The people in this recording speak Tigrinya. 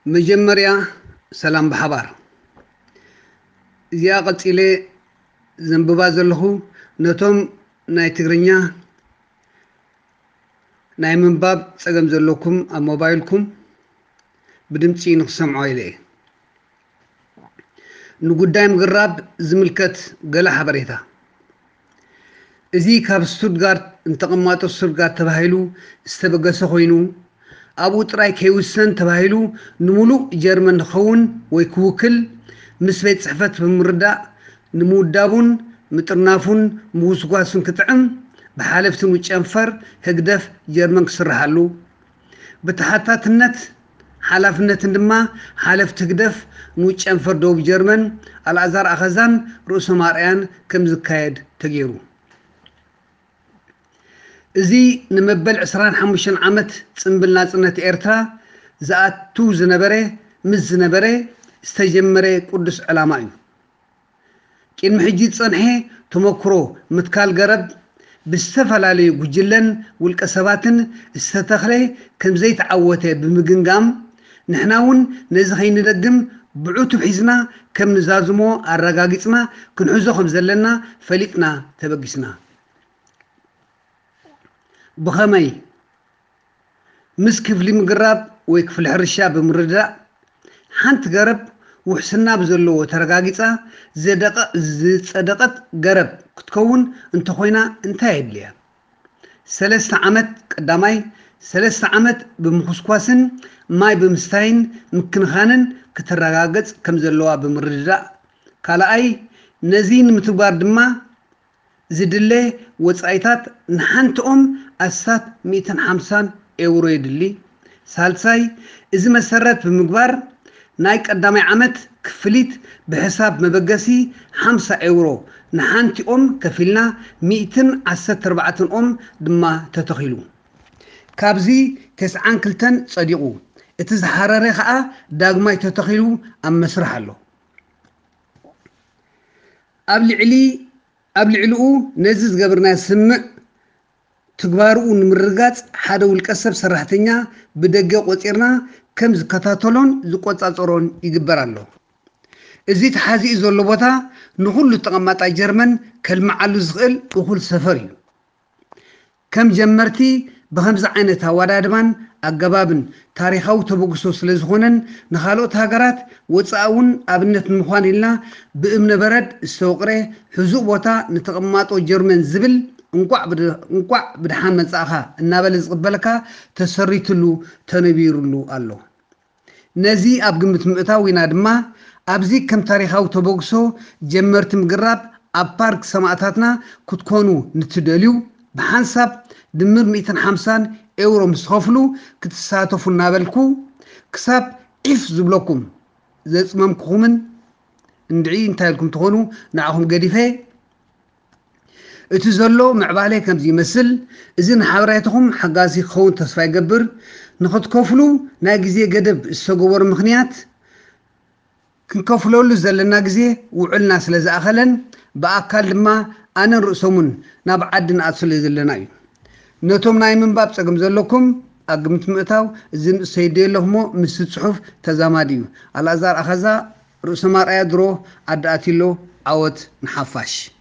መጀመርያ ሰላም ብሓባር። እዚኣ ቀጺለ ዘንብባ ዘለኹ ነቶም ናይ ትግርኛ ናይ ምንባብ ጸገም ዘለኩም ኣብ ሞባይልኩም ብድምጺ ንክሰምዖ ኢለ እየ። ንጉዳይ ምግራብ ዝምልከት ገለ ሓበሬታ። እዚ ካብ ስቱትጋርት ንተቐማጦ ስቱትጋርት ተባሂሉ ዝተበገሰ ኮይኑ፣ ኣብኡ ጥራይ ከይውሰን ተባሂሉ ንምሉእ ጀርመን ክኸውን ወይ ክውክል ምስ ቤት ጽሕፈት ብምርዳእ ንምውዳቡን ምጥርናፉን ምጉስጓሱን ክጥዕም ብሓለፍቲ ንኡስ ጨንፈር ህግደፍ ጀርመን ክስርሓሉ ብተሓታትነት ሓላፍነትን ድማ ሓለፍቲ ህግደፍ ንኡስ ጨንፈር ደቡብ ጀርመን ኣልኣዛር ኣኸዛን ርእሶም ኣርኣያን ከም ዝካየድ ተገይሩ። እዚ ንመበል ዕስራን ሓሙሽተን ዓመት ጽምብል ናጽነት ኤርትራ ዝኣቱ ዝነበረ ምስ ዝነበረ ዝተጀመረ ቅዱስ ዕላማ እዩ። ቅድሚ ሕጂ ዝጸንሐ ተመክሮ ምትካል ገረብ ብዝተፈላለዩ ጉጅለን ውልቀ ሰባትን ዝተተኽለ ከም ዘይተዓወተ ብምግምጋም፣ ንሕና እውን ነዚ ከይንደግም ብዕቱብ ሒዝና ከም ንዛዝሞ ኣረጋጊጽና ክንሕዞ ከም ዘለና ፈሊጥና ተበጊስና። ብኸመይ? ምስ ክፍሊ ምግራብ ወይ ክፍሊ ሕርሻ ብምርዳእ፣ ሓንቲ ገረብ ውሕስና ብዘለዎ ተረጋጊጻ ዘደቐ-፣ ዝጸደቐት ገረብ ክትከውን እንተኾይና እንታይ የድልያ? ሰለስተ ዓመት፣ ቀዳማይ፣ ሰለስተ ዓመት ብምኹስኳስን ማይ ብምስታይን ምክንኻንን ክትረጋገጽ ከም ዘለዋ ብምርድዳእ፣ ካልኣይ፣ ነዚ ንምትግባር ድማ ዝድለ ወጻኢታት ንሓንቲ ኦም ኣስታት ሚእትን ሓምሳን ኤውሮ የድሊ። ሳልሳይ፣ እዚ መሰረት ብምግባር ናይ ቀዳማይ ዓመት ክፍሊት ብሕሳብ መበገሲ ሓምሳ ኤውሮ ንሓንቲ ኦም ከፊልና ሚእትን ዓሰርተ ኣርባዕተን ኦም ድማ ተተኺሉ። ካብዚ ተስዓን ክልተን ጸዲቑ፣ እቲ ዝሓረረ ከኣ ዳግማይ ተተኺሉ ኣብ መስርሕ ኣሎ። ኣብ ልዕሊ፣ ኣብ ልዕሊኡ ነዚ ዝገበርናዮ ስምምዕ ትግባርኡ ንምርግጋጽ ሓደ ውልቀ ሰብ ሰራሕተኛ ብደገ ቆጺርና ከም ዝከታተሎን ዝቆጻጸሮን ይግበር ኣሎ። እዚ ተሓዚኡ ዘሎ ቦታ ንኹሉ ተቐማጣይ ጀርመን ከልምዓሉ ዝኽእል እኹል ሰፈር እዩ። ከም ጀመርቲ ብኸምዚ ዓይነት ኣወዳድባን ኣገባብን ታሪኻዊ ተበግሶ ስለ ዝኾነን ንኻልኦት ሃገራት ወጻኢ እውን ኣብነት ንምዃን ኢልና ብእምነ በረድ ዝተወቕረ ሕዙእ ቦታ ንተቐማጦ ጀርመን ዝብል እንቋዕ ብድ-፣ እንቋዕ ብደሓን መጻእኻ እናበለ ዝቕበለካ ተሰሪትሉ ተነቢሩሉ ኣሎ። ነዚ ኣብ ግምት ምእታው ኢና ድማ ኣብዚ ከም ታሪኻዊ ተበግሶ ጀመርቲ ምግራብ ኣብ ፓርክ ሰማእታትና ክትኮኑ ንትደልዩ ብሓንሳብ ድምር ሚእትን ሓምሳን ኤውሮ ምስ ትኸፍሉ ክትሳተፉ እናበልኩ ክሳብ ዒፍ ዝብለኩም ዘጽመምኩኹምን እንድዒ እንታይ ኢልኩም ትኾኑ ንዓኹም ገዲፈ። እቲ ዘሎ ምዕባለ ከምዚ ይመስል። እዚ ንሓበሬታኹም ሓጋዚ ክኸውን ተስፋ ይገብር። ንኽትከፍሉ ናይ ግዜ ገደብ ዝተገበሩ ምኽንያት ክንከፍለሉ ዘለና ግዜ ውዕልና ስለ ዝኣኸለን ብኣካል ድማ ኣነን ርእሶምን ናብ ዓዲ ንኣቱ ስለ ዘለና እዩ። ነቶም ናይ ምንባብ ጸገም ዘለኩም ኣብ ግምት ምእታው እዚ ንእሰይ ዶ ኣለኹሞ ምስቲ ጽሑፍ ተዛማዲ እዩ። ኣልኣዛር ኣኸዛ ርእሶም ኣርኣያ ድሮ ዓዲ ኣትሎ ዓወት ንሓፋሽ።